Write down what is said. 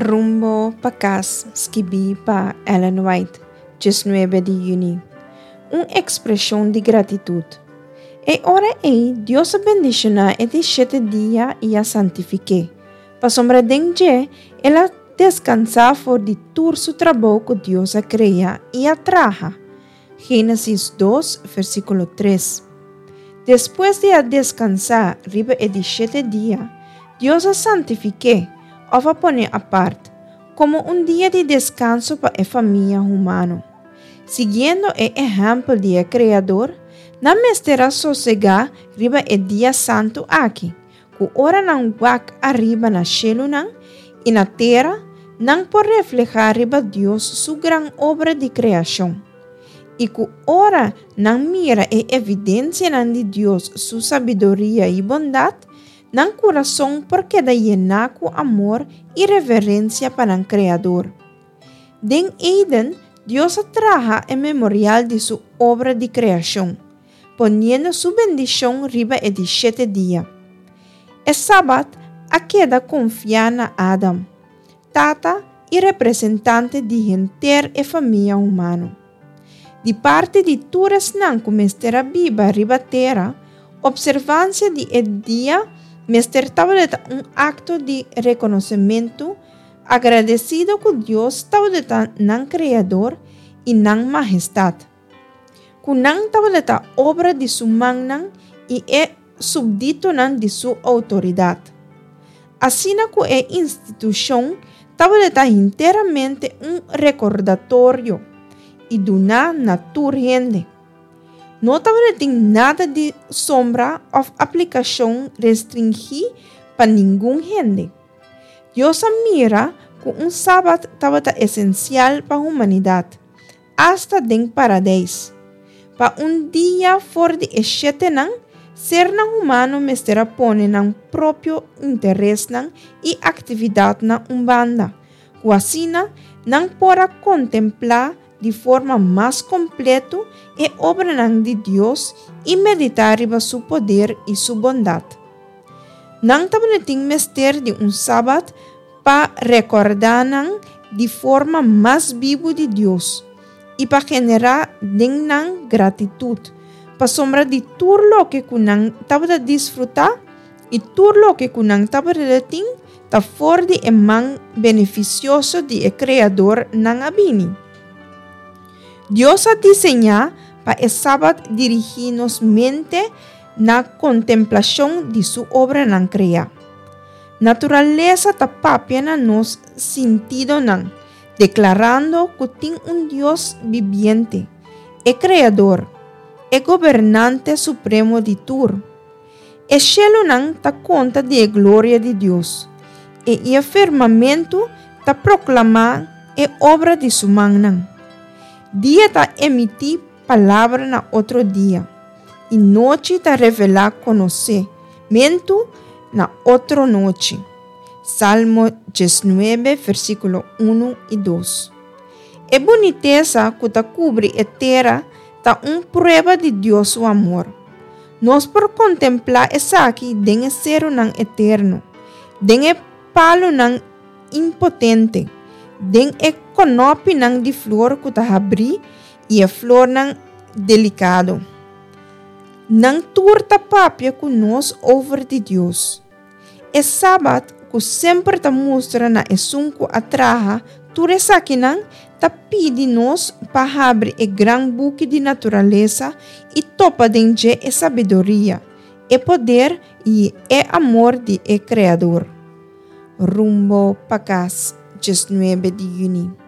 Rumbo pa Kas, skibí pa Ellen White, 19 di yüni. Un ekspreshon di gratitut. E ora ei Dios a bendishoná e di shete dia i a santifik'é, pasobra den dje el a deskansá for di tur su trabou ku Dios a krea i a traha. Génesis dos, versíkulo tres. Despues di a deskansá riba e di shete dia, Dios a santifik'é, òf a pon'é apart, komo un dia di deskanso pa e famia humano. Siguiendo e ehèmpel di e Kreador, nan mester a sosegá riba e dia santu aki, ku ora nan wak ariba na shelunan i na tera, nan por reflehá riba Dios su gran obra di kreashon, i ku ora nan mira e evidensianan di Dios su sabiduria i bondat, nan kurason por keda yená ku amor i reverensia pa nan Kreador. Den Eden, Dios a traha e memorial di su obra di kreashon, poniendo su bendishon riba e di shete dia. E Sabat a keda konfiá na Adam, tata i representante di henter e famia humano. Di parti di tur esnan ku mester a biba riba tera, opservansia di e dia mester tabata un akto di rekonosementu agradesido ku Dios tabata nan Kreador i nan Mahestat. Ku nan tabata obra di su mannan i e supditonan di su outoridat. Asina ku e institushon tabata hinteramente un rekordatorio i duná na tur hende. No tabatin nada di sombra òf aplikashon restringí pa ningun hende. Dios a mira ku un sabat tabata esensial pa humanidat. Asta den Paradeis. Pa un dia for di e shetenan, sernan humano mester a pone nan propio interesnan i aktividatnan un banda, ku asina nan por a kontemplá di forma mas kompleto e obranan di Dios i meditá riba su poder i su bondat. Nan tabatin mester di un sabat pa rekordá nan di forma mas bibu di Dios i pa generá den nan gratitut pasobra di tur loke ku nan tabata disfrutá i tur loke ku nan tabata tin ta for di e man benefisioso di e Kreador nan a bini. Dios a diseñá pa e Sabat dirigí nos mente na kontemplashon di su obranan kreá. Naturalesa ta papia na nos sintidonan, deklarando ku tin un Dios bibiente, e Kreador, e Gobernante Supremo di tur. E shelunan ta konta di e gloria di Dios, i e firmamentu ta proklamá e obra di su mannan. Dia ta emití palabra na otro dia, i nochi ta revelá konosementu na otro nochi. Salmo 19, versíkulo 1 i 2. E bunitesa ku ta kubri e tera ta un prueba di Dios su amor. Nos por kontemplá esaki den e serunan eterno, den e palunan impotente, den e konòpinan di flor ku ta habrí i e flornan delikado. Nan tur ta papia ku nos over di Dios. E Sabat, ku semper ta mustra na esun ku a traha tur esakinan, ta pidi nos pa habri e gran buki di naturalesa i topa den dje e sabiduria, e poder i e amor di e Kreador. Rumbo pa kas, 19 di yüni.